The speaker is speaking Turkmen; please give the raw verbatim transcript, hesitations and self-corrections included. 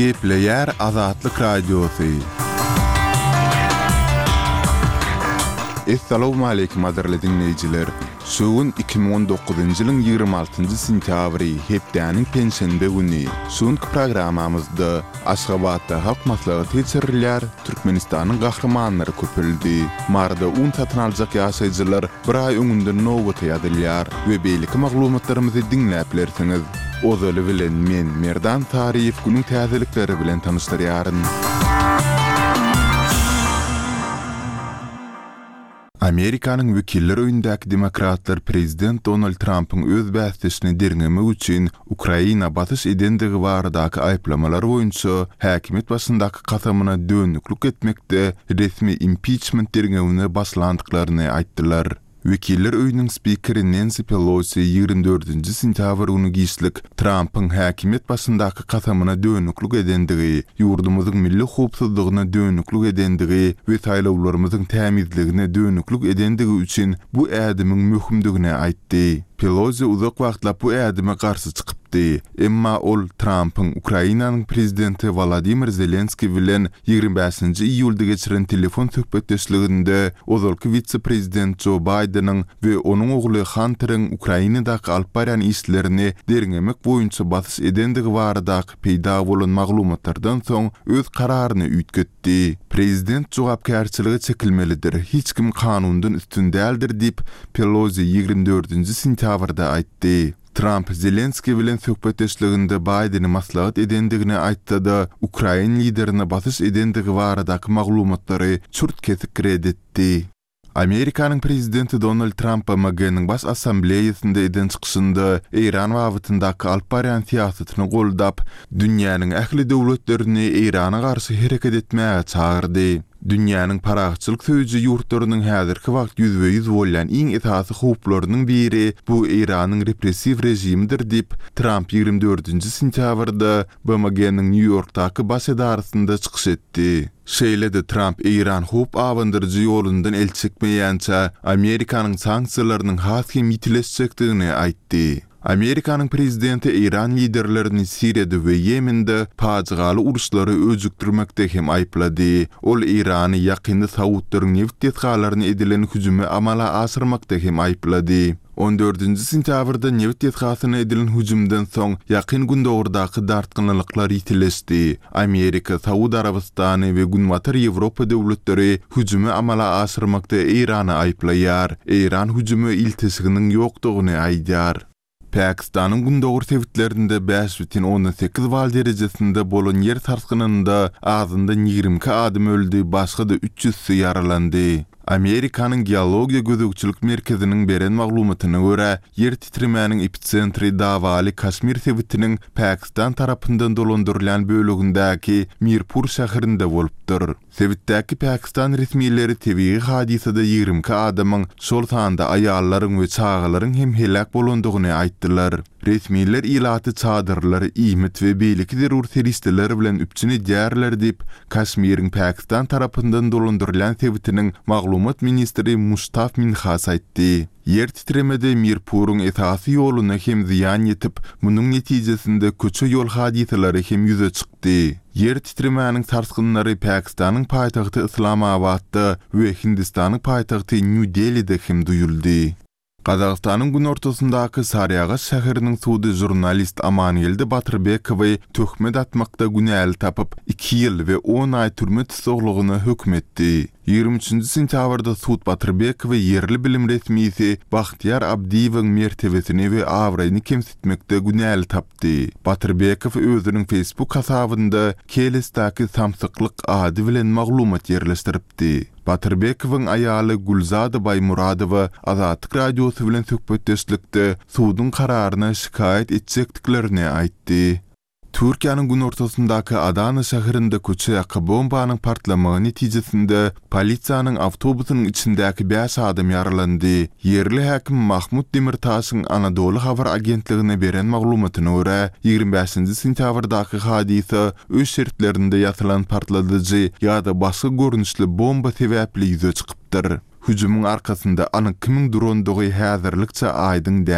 Gepleýär Azatlyk Radiosy. Essalawmaleýkim gadyrly diňleýjiler! Şu gün iki müň on dokuzynjy ýylyň ýigrimi altynjy sentýabry, hepdäniň penşenbe güni. Şu günki programmamyzda Aşgabatda Halk Maslahaty geçirilýär, Türkmenistanyň gahrymanlary köpeldi. Maryda un satyn aljak ýaşaýjylar bir aý öňünden nobata ýazylýar we beýleki maglumatlarymyzy diňläp bilersiňiz. Ozaly bilen men, Merdan Saryýew günüň täzelikleri bilen tanyşdyrýaryn. Amerikanyň Wekiller öýündäki demokratlar prezident Donald Trampyň öz bäsdeşini derňemek üçin Ukraina basyş edendigi baradaky aýyplamalar boýunça häkimiýet başyndaky kasamyna dönüklik etmekde resmi impiçment derňewine başlandyklaryny aýtdylar. Wekiller öýüniň spikeri Nensi Pelosi ýigrimi dördünji sentýabr güni giçlik Trampyň häkimiýet başyndaky kasamyna dönüklik edendigi, ýurdumyzyň milli howpsuzlygyna dönüklik edendigi we saýlawlarymyzyň tämizligine dönüklik edendigi üçin bu ädimiň möhümdigini aýtdy. Pelosi uzak wagtlap bu ädime garşy çykypdy. Emma ol Trampyň Ukrainanyň prezidenti Wolodymyr Zelenskiý bilen ýigrimi bäşinji iýulda geçiren telefon söhbetdeşliginde ozalky wise-prezident Jo Baýdeniň we onuň ogly Hanteriň Ukrainadaky alyp barýan işlerini derňemek boýunça basyş edendigi baradaky peýda bolan maglumatlardan soň öz kararyny üýtgetdi. Prezident jogapkärçilige çekilmelidir, hiç kim kanundan üstün däldir diýip, Pelosi ýigrimi dördünji sentýabrda aýtdy. Tramp Zelenskiý bilen söhbetdeşliginde Baýdeni maslahat edendigini aýtsa-da, ukrain liderine basyş edendigi baradaky maglumatlary çürt-kesik ret etdi. Amerikanyň prezidenti Donald Tramp B M G-niň Baş Assambleýasynda eden çykyşynda Eýran babatyndaky alyp barýan syýasatyny goldap, dünýäniň ähli döwletlerini Eýrana garşy hereket etmäge çagyrdy. Dünýäniň parahatçylyk söýüji ýurtlarynyň häzirki wagt ýüzbe-ýüz bolýan iň esasy howplarynyň biri bu Eýranyň repressiw režimidir diýip, Tramp ýigrimi dördünji sentýabrda B M G-niň Nýu-Ýorkdaky baş edarasynda çykyş etdi. Şeýle-de Tramp Eýran howp abandyryjy ýolundan el çekmeýänçä Amerikanyň sanksiýalarynyň has hem ýitileşjekdigini aýtdy. Amerikanyň prezidenti Eýran liderlerini Siriýada we Ýemende pajygaly uruşlary öjükdirmekde hem aýyplady. Ol Eýrany ýakynda Saudlaryň nebit desgalaryna edilen hüjümi amala aşyrmakda hem aýyplady. On dördünji sentýabrda nebit desgasyna edilen hüjümden soň Ýakyn Gündogardaky dartgynlyklar ýitileşdi. Amerika, Saud Arabystany we Günbatar Ýewropa döwletleri hüjümi amala aşyrmakda Eýrany aýyplaýar. Eýran hüjüme ilteşiginiň ýokdugyny aýdýar. Pakistanyň gündogar sebitlerinde bäş bütin ondan sekiz bal derejesinde bolan ýer sarsgynynda azyndan ýigrimi iki adam öldi, başga-da üç ýüzsi ýaralandy. Amerikanyň Geologiýa gözegçilik merkeziniň beren maglumatyna görä, ýer titremäniň epitsentri dawaly Kaşmir sebitiniň Pakistan tarapyndan dolandyrylýan bölegindäki Mirpur şäherinde bolupdyr. Sebitdäki Pakistan resmileri tebigy hadysada ýigrimi iki adamyň, şol sanda aýallaryň we çagalaryň hem heläk bolandygyny aýtdylar. Resmiler ilaty çadyrlar, iýmit we beýleki zerur serişdeler bilen üpjün edýärler diýip, Kaşmiriň Pakistan tarapyndan dolandyrylýan sebitiniň maglumat ministri Muştaf Minhas aýtdy. Ýer titremede Mirpuryň esasy ýoluna hem zyýan ýetip, munuň netijesinde köçe-ýol hadysalary hem ýüze çykdy. Ýer titremäniň sarsgynlary Pakistanyň paýtagty Yslamabatda we Hindistanyň paýtagty Nýu-Delide hem duýuldy. Gazagystanyň günortasyndaky Saryagaş şäheriniň sudy žurnalist Amangeldi Batyrbekowy töhmet atmakda günäli tapyp, iki ýyl we on aý türme tussaglygyna höküm etdi. Ýigrimi üçünji sentýabrda sud Batyrbekowy ýerli bilim resmisi Bahtyýar Abdyýewiň mertebesini we abraýyny kemsitmekde günäli tapdy. Batyrbekow özüniň Facebook hasabynda Kelesdäki samsyklyk ady bilen maglumat ýerleşdiripdi. Batyrbekowyň aýaly Gülzada Baýmuradowa Azatlyk Radiosy bilen söhbetdeşlikde suduň kararyna şikaýat etjekdiklerini aýtdy. Türkiýäniň günortasyndaky Adana şäherinde köçe ýaka bombanyň partlamagy netijesinde polisiýanyň awtobusynyň içindäki bäş adam ýaralandy. Ýerli häkim Mahmut Demirtaşyň Anadolu habar agentligine beren maglumatyna görä, ýigrimi bäşinji sentýabrdaky hadysa öý şertlerinde ýasalan partladyjy ýa-da başga görnüşli bomba sebäpli ýüze çykypdyr. Hüjümiň arkasynda anyk kimiň durandygy häzirlikçe aýdyň däl.